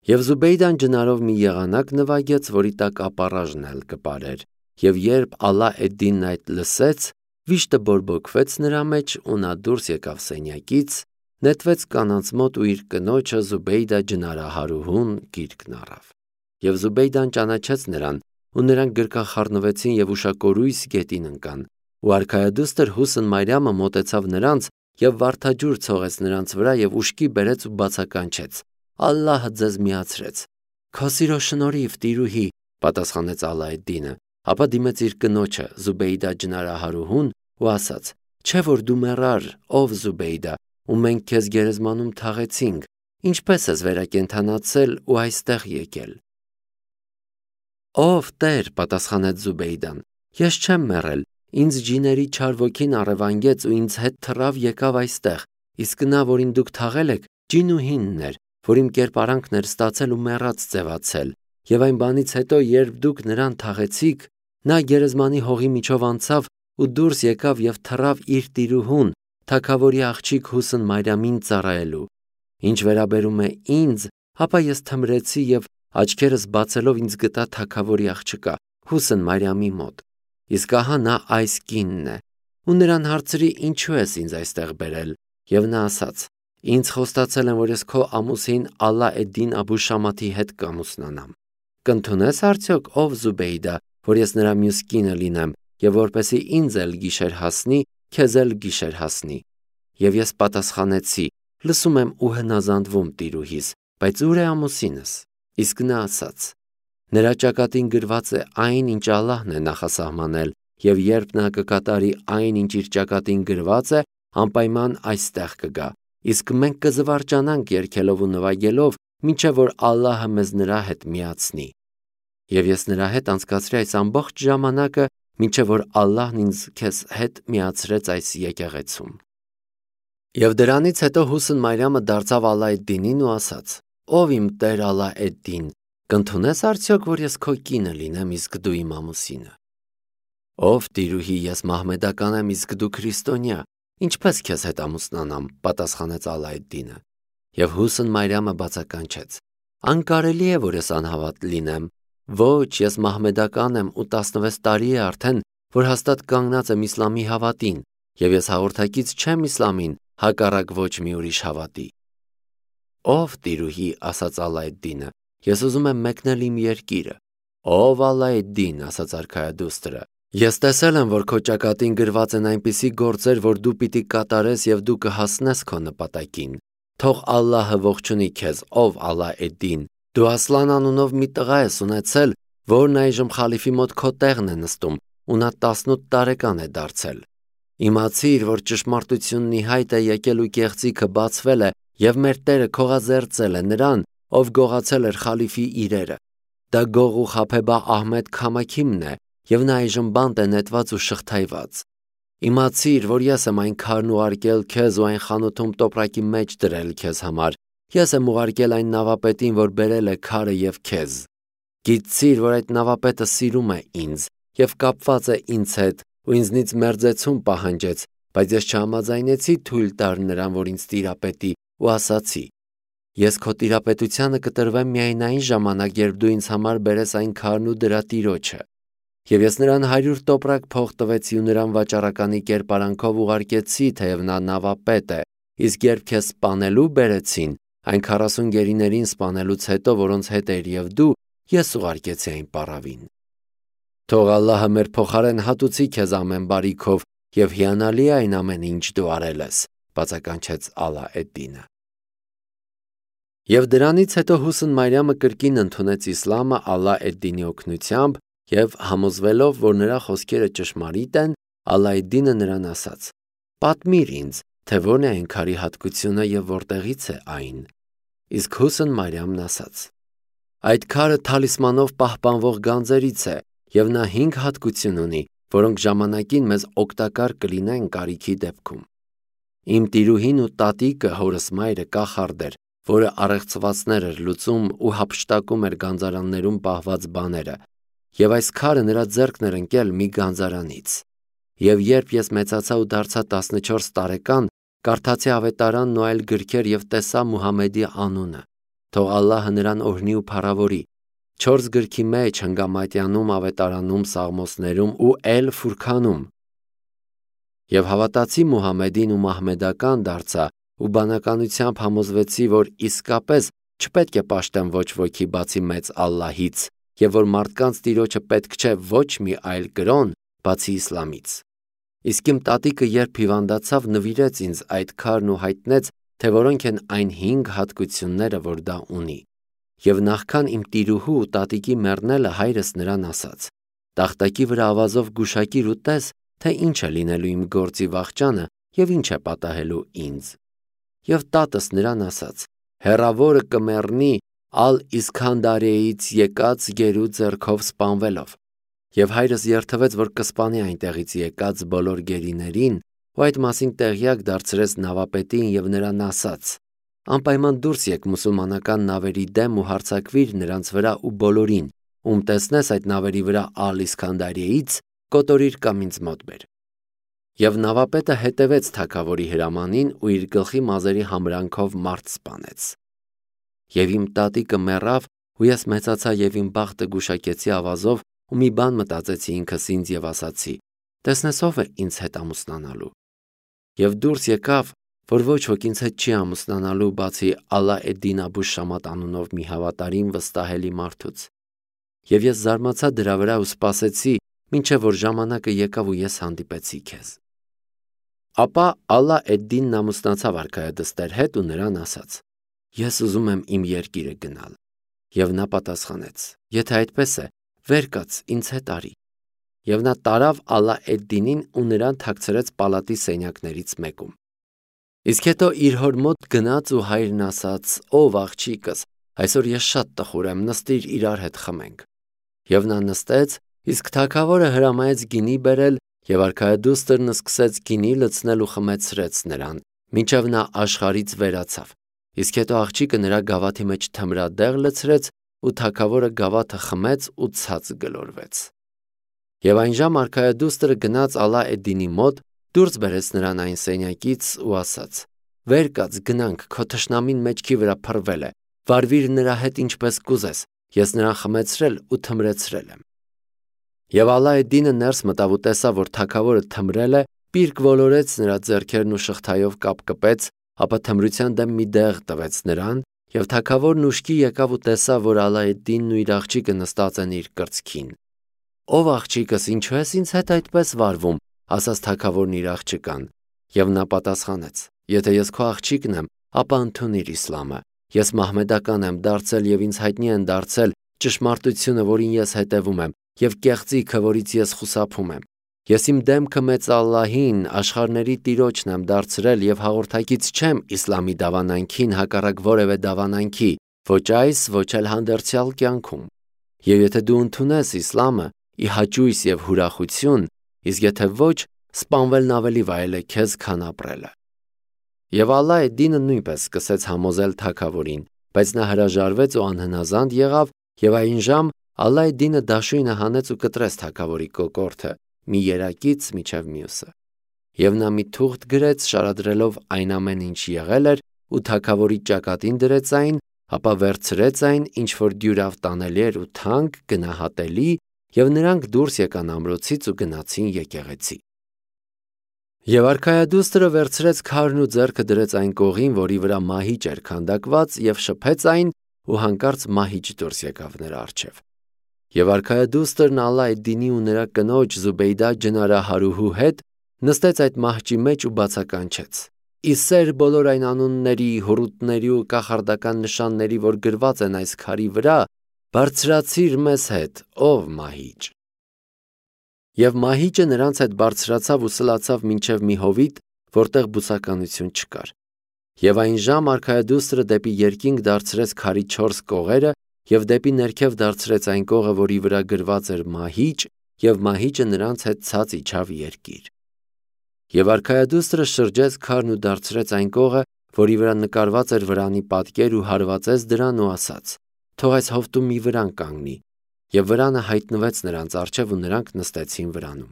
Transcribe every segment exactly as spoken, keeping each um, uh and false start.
Եվ Զուբեյդան ջնարով մի եղանակ նվագեց, որի տակ ապառաժն էլ կպարեր, եւ երբ Ալա էդ-Դինն այդ լսեց, վիշտը բորբոքվեց նրա մեջ ու նա դուրս եկավ սենյակից, նետվեց կանանց մոտ ու իր կնոջը Զուբեյդա ջնարահարուհուն գիրկն առավ։ Եվ Զուբեյդան ճանաչեց նրան, ու նրանք գրկախառնվեցին եւ ուշակորույս գետին ընկան, ու արքայադուստր Հուսն Մարիամը մոտեցավ նրանց եւ վարդաջուր ցողեց նրանց վրա եւ ուշքի բերեց ու բացականչեց. Ալլահը ձեզ միացրեց։ Քո սիրո շնորհիվ, տիրուհի, պատասխանեց Ալա էդ-Դինը, ապա դիմեց իր կնոջը Զուբեյդա ջնարահարուհուն ու ասաց. Չէ որ դու մեռար, ով Զուբեյդա, ու մենք քեզ գերեզմանում թաղեցինք, ինչպես ես վերակենդանացել ու այստեղ եկել։ Ով Տեր, պատասխանեց Զուբեյդան, ես չեմ մեռել, ինձ ջիների չար ոգին առևանգեց ու ինձ հետ թռավ եկավ այստեղ, իսկ նա, որին դուք թաղել եք, ջինուհինն էր, որ իմ կերպարանքն էր ստացել ու մեռած ձևացել, եւ այն բանից հետո, երբ դուք նրան թաղեցիք, նա գերեզմանի հողի միջով անցավ ու դուրս եկավ եւ թռավ իր տիրուհուն, թագավորի աղջիկ Հուսն Մարիամին ծառայելու։ Ինչ վերաբերում է ինձ, ապա ես թմրեցի եւ աչքերս բացելով ինձ գտա թագավորի աղջկա Հուսն Մարիամի մոտ։ Իսկ ահա նա այս կինն է, ու նրան հարցրի ինչու ես ինձ այստեղ բերել, եւ նա ասաց. Ինձ խոստացել են, որ ես քո ամուսին Ալա էդ-Դին Աբու Շամաթի հետ կամուսնանամ։ Կընդունես արդյոք ով Զուբեյդա, որ ես նրա մյուս կինը լինեմ, եւ որպեսի ինձ էլ գիշեր հասնի, քեզ էլ գիշեր հասնի։ Եվ ես պատասխանեցի. լսում եմ ու հնազանդվում տիրուհիս, բայց ուր է ամուսինս։ Իսկ նա ասաց. նրա ճակատին գրված է այն, ինչ Ալլահն է նախասահմանել, եւ երբ նա կկատարի այն, ինչ իր ճակատին գրված է, անպայման այստեղ կգա։ Իսկ մենք կզվարճանանք երգելով ու նվագելով, մինչև որ Ալլահը մեզ նրա հետ միացնի։ Եվ ես նրա հետ անցկացրի այս ամբողջ ժամանակը, մինչև որ Ալլահն ինձ քեզ հետ միացրեց այս եկեղեցում։ Եվ դրանից հետո Հուսն Մարիամը դարձավ Ալա էդ-Դինին ու ասաց. Ով իմ Տեր Ալա էդ-Դին, կընդունես արդյոք, որ ես քո կինը լինեմ, իսկ դու իմ ամուսինը։ Ով տիրուհի, ես մահմեդական եմ, իսկ դու քրիստոնյա, ինչպես քեզ հետ ամուսնանամ, պատասխանեց Ալա էդ-Դինը։ Եվ Հուսն Մարիամը բացականչեց. անկարելի է, որ ես անհավատ լինեմ։ Ոչ, ես մահմեդական եմ ու տասնվեց տարի է արդեն, որ հաստատ կանգնած եմ իսլամի հավատին, եւ ես հաղորդակից չեմ իսլամին, հակառակ ոչ մի ուրիշ հավատի։ Ով տիրուհի, ասաց Ալա էդ-Դինը, ես ուզում եմ մեկնել իմ երկիրը։ Ով Ալա էդ-Դին, ասաց արքայադուստրը, ես տեսել եմ, որ քո ճակատին գրված են այնպիսի գործեր, որ դու պիտի կատարես եւ դու կհասնես քո նպատակին։ Թող Ալլահը ողջունի քեզ, ով Ալա էդ-Դին, դու Ասլան անունով մի տղա ես ունեցել, որն այժմ խալիֆի մոտ քո տեղն է նստում, ու նա տասնութ տարեկան է դարձել։ Իմացիր, որ ճշմարտությունն ի հայտ է եկել ու կեղծիքը բացվել է, եւ մեր Տերը քողազերծել է նրան, ով գողացել էր խալիֆի իրերը։ Դա գող ու խաբեբա Ահմեդ Քամաքիմն է, եւ նա այժմ բանտ է նետված ու շղթայված։ Իմացիր, որ ես եմ այն քարն ուղարկել քեզ ու այն խանութում տոպրակի մեջ դրել քեզ համար։ Ես եմ ուղարկել այն նավապետին, որ բերել է քարը եւ քեզ։ Գիտցիր, որ այդ նավապետը սիրում է ինձ եւ կապված է ինձ հետ ու ինձնից մերձեցում պահանջեց, բայց ես չհամաձայնեցի թույլ տալ նրան, որ ինձ տիրապետի ու ասացի. Ես քո տիրապետությանը կտրվեմ միայն այն ժամանակ, երբ դու ինձ համար բերես այն քարն ու դրա տիրոջը։ Եվ ես նրան հարյուր տոպրակ փող տվեցի ու նրան վաճառականի կերպարանքով ուղարկեցի, թեև նա նավապետ է, իսկ երբ քեզ սպանելու բերեցին, այն քառասուն գերիներին սպանելուց հետո, որոնց հետ էր եւ դու, ես ուղարկեցի այն պառավին։ Թող Ալլահը մեր փոխարեն հատուցի քեզ ամեն բարիքով եւ հիանալի է այն ամենը, ինչ դու արել ես, բացականչեց Ալա էդ-Դինը։ Եվ դրանից հետո Հուսն Մարիամը կրկին ընդունեց իսլամը Ալա էդ-Դինի օգնությամբ եւ համոզվելով, որ նրա խոսքերը ճշմարիտ են, Ալա էդ-Դինը նրան ասաց. Պատմիր ինձ, թե ո՞րն է այն քարի հատկությունը եւ որտեղից է այն։ Իսկ Հուսն Մարիամն ասաց. Այդ քարը թալիսմանով պահպանվող գանձերից է եւ նա հինգ հատկություն ունի, որոնք ժամանակին մեզ օգտակար կլինեն կարիքի դեպքում։ Իմ տիրուհին ու տատիկը հորս մայրը կախարդ էր, որը առեղծվածներ էր լուծում ու հափշտակում էր գանձարաններում պահված բաները, եւ այս քարը նրա ձեռքն էր ընկել մի գանձարանից։ Եվ երբ ես մեծացա ու դարձա տասնչորս տարեկան, կարդացի ավետարանն ու այլ գրքեր եւ տեսա Մուհամեդի անունը։ թող Ալլահը նրան օրհնի ու փառավորի։ Չորս գրքի մեջ հնգամատյանում, ավետարանում, սաղմոսներում ու Էլ Ֆուրքանում։ Եվ հավատացի Մուհամեդին ու մահմեդական դարձա ու բանականությամբ համոզվեցի, որ իսկապես չպետք է պաշտեմ ոչ ոքի բացի մեծ Ալլահից, եւ որ մարդկանց տիրոջը պետք չէ ոչ մի այլ կրոն բացի իսլամից։ Իսկ իմ տատիկը երբ հիվանդացավ, նվիրեց ինձ այդ քարն ու հայտնեց, թե որոնք են այն հինգ հատկությունները, որ դա ունի։ Եվ նախքան իմ տիրուհու ու տատիկի մեռնելը հայրս նրան ասաց. «Տախտակի վրա ավազով գուշակիր ու տես, թե ինչ է լինելու իմ գործի վախճանը եւ ինչ է պատահելու ինձ»։ Եվ տատս նրան ասաց. «Հեռավորը կմեռնի Ալ-Իսքանդարիայից եկած գերու ձեռքով սպանվելով»։ Եվ հայրս երդվեց, որ կսպանի այնտեղից եկած բոլոր գերիներին, ու այդ մասին տեղյակ դարձրեց նավապետին եւ նրան ասաց. «Անպայման դուրս եք մուսուլմանական նավերի դեմ ու հարձակվիր նրանց վրա ու բոլորին, ում տեսնես այդ նավերի վրա Ալ-Իսքանդարիայից, կոտորիր կամ ինձ մոտ բեր»։ Եվ նավապետը հետևեց թագավորի հրամանին ու իր գլխի մազերի համրանքով մարդ սպանեց։ Եվ իմ տատիկը մեռավ, ու ես մեծացա եւ իմ բախտը գուշակեցի ավազով ու մի բան մտածեցի ինքս ինձ եւ ասացի. «Տեսնես ով է ինձ հետ ամուսնանալու»։ Եվ դուրս եկավ, որ ոչ ոք ինձ հետ չի ամուսնանալու բացի Ալա Էդ-Դին Աբու Շամատ անունով մի հավատարիմ վստահելի մարդուց։ Եվ ես զարմացա դրա վրա ու սպասեցի, մինչև որ ժամանակը եկավ ու ես հանդիպեցի քեզ։ Ապա Ալա Էդ-Դինն ամուսնացավ արքայադստեր հետ ու նրան ասաց. «Ես ուզում եմ իմ երկիրը գնալ»։ Եվ նա պատասխանեց. «Եթե այդպես է, վեր կաց, ինձ հետ արի»։ Եվ նա տարավ Ալա Էդ-Դինին ու նրան թաքցրեց պալատի սենյակներից մեկում։ Իսկ հետո իր հոր մոտ գնաց ու հայրն ասաց. «Ով աղջիկս, այսօր ես շատ տխուր եմ, նստիր իրար հետ խմենք»։ Եվ նա նստեց, իսկ թագավորը հրամայեց գինի բերել, եւ արքայադուստրն սկսեց գինի լցնել ու խմեցրեց նրան, մինչև նա աշխարհից վերացավ։ Իսկ հետո աղջիկը նրա գավաթի մեջ թմրադեղ լցրեց, ու թագավորը գավաթը խմեց ու ցած գլորվեց։ Եվ այն ժամ արքայադուստրը գնաց Ալա Էդ-Դինի մոտ, դուրս բերեց նրան այն սենյակից ու ասաց. «Վեր կաց, գնանք, քո թշնամին մեջքի վրա փռվել է, վարվիր նրա հետ ինչպես կուզես, ես նրան խմեցրել ու թմրեցրել եմ»։ Եվ Ալա Էդ-Դինը ներս մտավ ու տեսավ, որ թագավորը թմրել է, պիրկ ոլորեց նրա ձեռքերն ու շղթայով կապկպեց, ապա թմրության դեմ մի դեղ տվեց նրան, եւ թագավորն ուշքի եկավ ու տեսավ, որ Ալա Էդ-Դինն ու իր աղջիկը նստած են իր կրծքին։ «Ով աղջիկս, ինչու ես ինձ հետ այդպես վարվում», ասաց թագավորն իր աղջկան։ Եվ նա պատասխանեց. «Եթե ես քո աղջիկն եմ, ապա ընդունիր իսլամը։ Ես մահմեդական եմ դարձել եւ ինձ հայտնի են դարձել ճշմարտությունը, որին ես հետևում եմ, եւ կեղծիքը, որից ես խուսափում եմ։ Ես իմ դեմքը մեծ Ալլահին, աշխարհների Տիրոջն եմ դարձրել եւ հաղորդակից չեմ իսլամի դավանանքին հակառակ որևէ դավանանքի, ոչ այս, ոչ էլ հանդերձյալ կյանքում։ Եվ եթե դու ընդունես իսլամը, ի հաճույս եւ հուրախություն, իսկ եթե ոչ, սպանվելն ավելի վայել է քեզ, քան ապրելը»։ Եվ Ալա Էդ-Դինը նույնպես սկսեց համոզել թագավորին, բայց նա հրաժարվեց ու անհնազանդ եղավ, եւ այն ժամ Ալա Էդ-Դինը դաշույնը հանեց ու կտրեց թագավորի կոկորդը, մի երակից մինչև մյուսը։ Եվ նա մի թուղթ գրեց, շարադրելով այն ամեն ինչ եղել էր, ու թագավորի ճակատին դրեց այն, ապա վերցրեց այն, ինչ որ դյուրավ տանելի էր ու թանկ, գնահատելի, եւ նրանք դուրս եկան ամրոցից ու գնացին եկեղեցի։ Եվ արքայադուստրը վերցրեց քարն ու ձեռքը դրեց այն կողին, որի վրա մահիճ էր քանդակված, եւ շփեց այն, ու հանկարծ մահիճ դուրս եկավ նրա առջև։ Եվ արքայադուստրն Ալա Էդ-Դինի ու նրա կնոջ Զուբեյդա ջնարահարուհու հետ նստեց այդ մահճի մեջ ու բացականչեց. «Ի սեր բոլոր այն անունների, հոռութների ու կախարդական նշանների, որ գրված են այս քարի վրա, բարձրացիր մեզ հետ, ով մահիճ»։ Եվ մահիճը նրանց հետ բարձրացավ ու սլացավ մինչև մի հովիտ, որտեղ բուսականություն չկար։ Եվ այն ժամ արքայադուստրը դեպի երկինք դարձրեց քարի չորս կողերը եւ դեպի ներքև դարձրեց այն կողը, որի վրա գրված էր մահիճ, եւ մահիճը նրանց հետ ցած իջավ երկիր։ Եվ արքայադուստրը շրջեց քարն ու դարձրեց այն կողը, որի վրա նկարված էր վրանի պատկեր ու հարվածեց դրան ու ասաց. «Թող այս հովտում մի վրան կանգնի»։ Եվ վրանը հայտնվեց նրանց առջև ու նրանք նստեցին վրանում։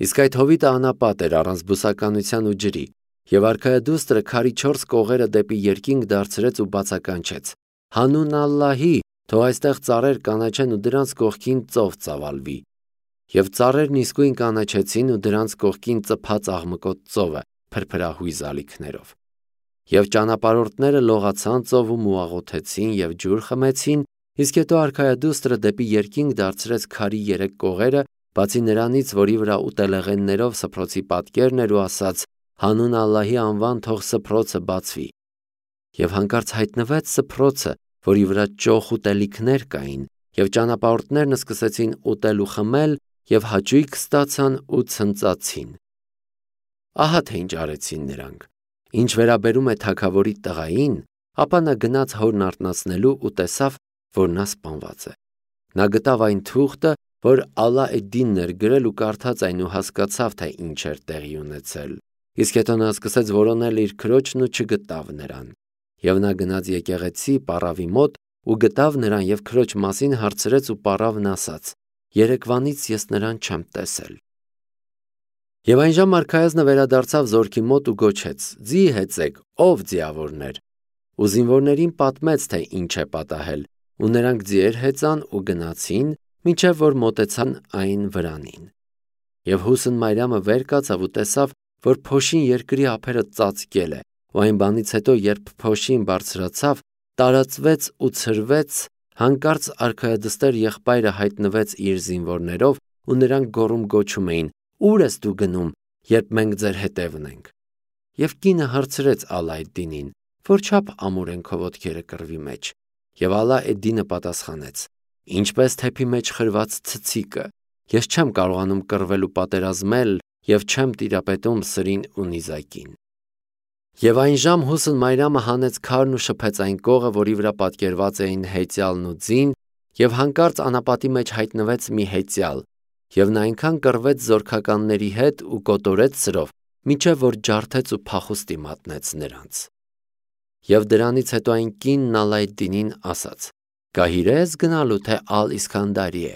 Իսկ այդ հովիտը անապատ էր, առանց բուսականության ու ջրի, Եվ արքայադուստրը քարի չորս կողերը դեպի երկինք դարձրեց ու բացականչեց. «Հանուն Ալլահի, թող այստեղ ծառեր կանաչեն ու դրանց կողքին ծով ծավալվի»։ Եվ ծառերն իսկույն կանաչեցին ու դրանց կողքին ծփաց աղմկոտ ծովը փրփրահույզ ալիքներով։ Եվ ճանապարհորդները լողացան ծովում ու աղոթեցին եւ ջուր խմեցին, իսկ հետո արքայադուստրը դեպի երկինք դարձրեց քարի երեք կողերը, բացի նրանից, որի վրա ուտելեղեններով սփռոցի պատկերն էր ու ասաց. «Հանուն Ալլահի անվան թող սփռոցը բացվի»։ Եվ հանկարծ հայտնվեց սփռոցը, որի վրա ճոխ ուտելիքներ կային, եւ ճանապարհորդներն սկսեցին ուտել ու խմել եւ հաճույք ստացան ու ցնծացին։ Ահա թե ինչ արեցին նրանք։ Ինչ վերաբերում է թագավորի տղային, ապա նա գնաց հորն արթնացնելու ու տեսավ, որ նա սպանված է։ Նա գտավ այն թուղթը, որ Ալա էդ-Դինն էր գրել ու կարդաց այն ու հասկացավ, թե ինչ էր տեղի ունեցել։ Իսկ հետո նա սկսեց որոնել իր քրոջն ու չգտավ նրան։ Եվ նա գնաց եկեղեցի պառավի մոտ ու գտավ նրան եւ քրոջ մասին հարցրեց ու պառավն ասաց. «Երեկվանից ես նրան չեմ տեսել»։ Եվ այնժամ արքայազնը վերադարձավ զորքի մոտ ու գոչեց. «Ձի հեծեք, ով ձիավորներ»։ Ու զինվորներին պատմեց, թե ինչ է պատահել, ու նրանք ձիեր հեծան ու գնացին, մինչև որ մոտեցան այն վրանին։ Եվ Հուսն Մարիամը վեր կացավ ու տեսավ, որ փոշին երկրի ափերը ծածկել է, ու այն բանից հետո, երբ փոշին բարձրացավ, տարածվեց ու ցրվեց, հանկարծ արքայադստեր եղբայրը հայտնվեց իր զինվորներով, ու նրանք գոռում գոչում էին. «Ո՞ւր ես դու գնում, երբ մենք ձեր հետևն ենք»։ Եվ կինը հարցրեց Ալա էդ-Դինին. «Որչափ ամուր են քո ոտքերը կռվի մեջ»։ Եվ Ալա էդ-Դինը պատասխանեց. «Ինչպես թեփի մեջ խրված ցցիկը, ես չեմ կարողանում կռվել ու պատերազմել եւ չեմ տիրապետում սրին ու նիզակին»։ Եվ այնժամ Հուսն Մարիամը հանեց քարն ու շփեց այն կողը, որի վրա պատկերված էին հեծյալն ու ձին, եւ հանկարծ անապատի մեջ հայտնվեց մի հեծյալ, եւ նա այնքան կռվեց զորքականների հետ ու կոտորեց սրով, մինչև որ ջարդեց ու փախուստի մատնեց նրանց։ Եվ դրանից հետո այն կինն Ալա էդ-Դինին ասաց. «Գահիր ես գնալու, թե Ալ-Իսքանդարի է»։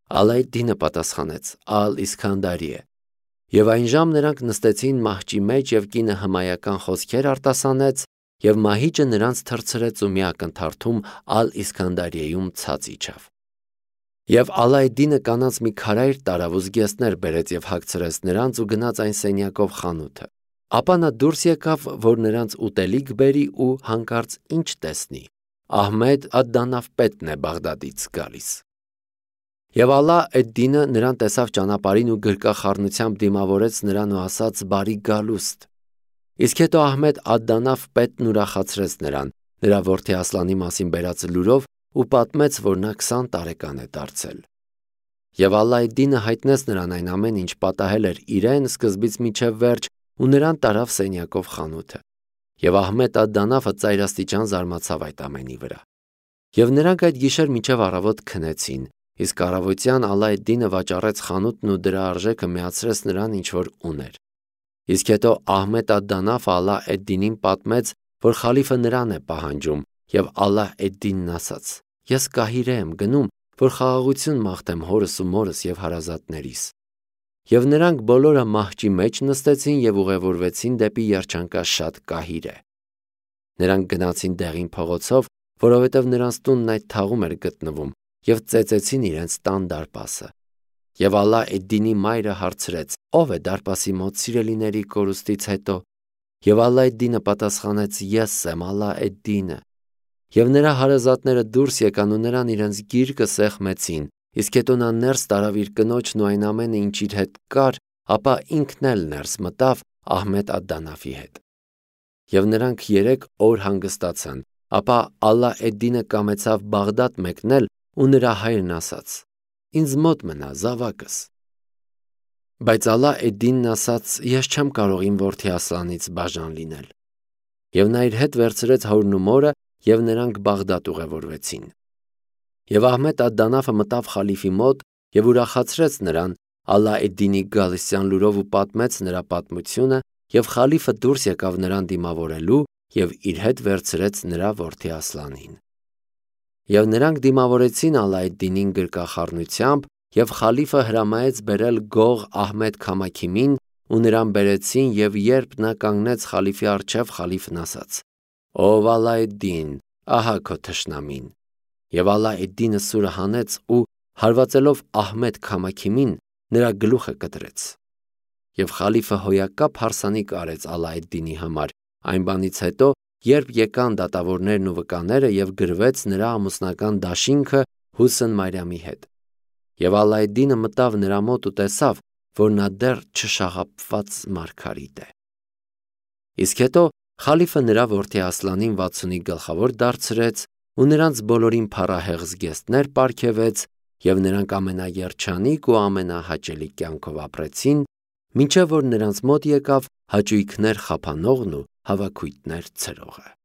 Ալա էդ-Դինը պատասխանեց. «Ալ-Իսքանդարի է»։ Եվ այնժամ նրանք նստեցին մահճի մեջ, եւ կինը հմայական խոսքեր արտասանեց, եւ մահիճը նրանց թռցրեց ու մի ակնթարթում Ալ-Իսքանդարիեում ցած իջավ։ Եվ Ալա էդ-Դինը կանանց մի քարայր տարավ ու զգեստներ բերեց եւ հագցրեց նրանց ու գնաց այն սենյակով խանութը։ Ապա նա դուրս եկավ, որ նրանց ուտելիք բերի ու հանկարծ ինչ տեսնի. Ահմեդ ադ-Դանաֆ պետն է Բաղդադից գալիս։ Եվ Ալա էդ-Դինը նրան տեսավ ճանապարհին ու գրկախառնությամբ դիմավորեց նրան ու ասաց. «Բարի գալուստ»։ Իսկ հետո Ահմեդ ադ-Դանաֆ պետն ուրախացրեց նրան, նրա որդի Ասլանի մասին բերած լուրով ու պատմեց, որ նա քսան տարեկան է դարձել։ Եվ Ալա էդ-Դինը հայտնեց նրան այն ամեն ինչ պատահել էր իրեն սկզբից մինչև վերջ ու նրան տարավ սենյակով խանութը։ Եվ Ահմեդ ադ-Դանաֆը ծայրաստիճան զարմացավ այդ ամենի վրա։ Եվ նրանք այդ գիշեր մինչև առավոտ քնեցին, իսկ առավոտյան Ալա էդ-Դինը վաճառեց խանութն ու դրա արժեքը միացրեց նրան, ինչ որ ուներ։ Իսկ հետո Ահմեդ ադ-Դանաֆը Ալա էդ-Դինին պատմեց, որ խալիֆը նրան է պահանջում, եւ Ալա էդ-Դինն ասաց. «Ես Կահիրե եմ գնում, որ խաղաղություն մաղթեմ հորս ու մորս եւ հարազատներիս»։ Եվ նրանք բոլորը մահճի մեջ նստեցին եւ ուղևորվեցին դեպի երջանկաշատ Կահիրե։ Նրանք գնացին դեղին փողոցով, որովհետեւ նրանց տունն այդ թաղում էր գտնվում, եւ ծեծեցին իրենց տան դարպասը։ Եվ Ալա էդ-Դինի մայրը հարցրեց. «Ո՞վ է դարպասի մոտ սիրելիների կորուստից հետո»։ Եվ Ալա էդ-Դինը պատասխանեց. «Ես եմ Ալա էդ-Դինը»։ Եվ նրա հարազատները դուրս եկան ու նրան իրենց գիրկը սեղմեցին, իսկ հետո նա ներս տարավ իր կնոջն ու այն ամենը, ինչ իր հետ կար, ապա ինքն էլ ներս մտավ Ահմեդ ադ-Դանաֆի հետ։ Եվ նրանք երեք օր հանգստացան, ապա Ալա էդ-Դինը կամեցավ Բաղդադ մեկնել ու նրա հայրն ասաց. «Ինձ մոտ մնա զավակս»։ Բայց Ալա էդ-Դինն ասաց. «Ես չեմ կարող իմ որդի Ասլանից բաժան լինել»։ Եվ նա իր հետ վերցրեց հորն ու մորը, եւ նրանք Բաղդադ ուղևորվեցին։ Եվ Ահմեդ ադ-Դանաֆը մտավ խալիֆի մոտ եւ ուրախացրեց նրան Ալա էդ-Դինի գալստյան լուրով ու պատմեց նրա պատմությունը, եւ խալիֆը դուրս եկավ նրան դիմավորելու եւ իր հետ վերցրեց նրա որդի Ասլանին։ Եվ նրանք դիմավորեցին Ալա էդ-Դինին գրկախառնությամբ, եւ խալիֆը հրամայեց բերել գող Ահմեդ Քամաքիմին, ու նրան բերեցին, եւ երբ նա կանգնեց խալիֆի առջև, խալիֆն ասաց. «Ով Ալա-էդ-Դին, ահա քո թշնամին»։ Եվ Ալա-էդ-Դինը սուրը հանեց ու հարվածելով Ահմեդ քամաքիմին նրա գլուխը կտրեց։ Եվ խալիֆը հոյակապ հարսանիք արեց Ալա-էդ-Դինի համար այն բանից հետո, երբ եկան դատավորներն ու վկաները եւ գրվեց նրա ամուսնական դաշինքը Հուսն Մարիամի հետ։ Եվ Ալա-էդ-Դինը մտավ նրա մոտ ու տեսավ, որ նա դեռ չշաղափված մարգարիտ է։ Իսկ հետո խալիֆը նրա որդի Ասլանին վաթսունի գլխավոր դարձրեց ու նրանց բոլորին փառահեղ զգեստներ պարգևեց, եւ նրանք ամենաերջանիկ ու ամենահաճելի կյանքով ապրեցին, մինչև որ նրանց մոտ եկավ հաճույքներ խափանողն ու հավաքույթներ ցրողը։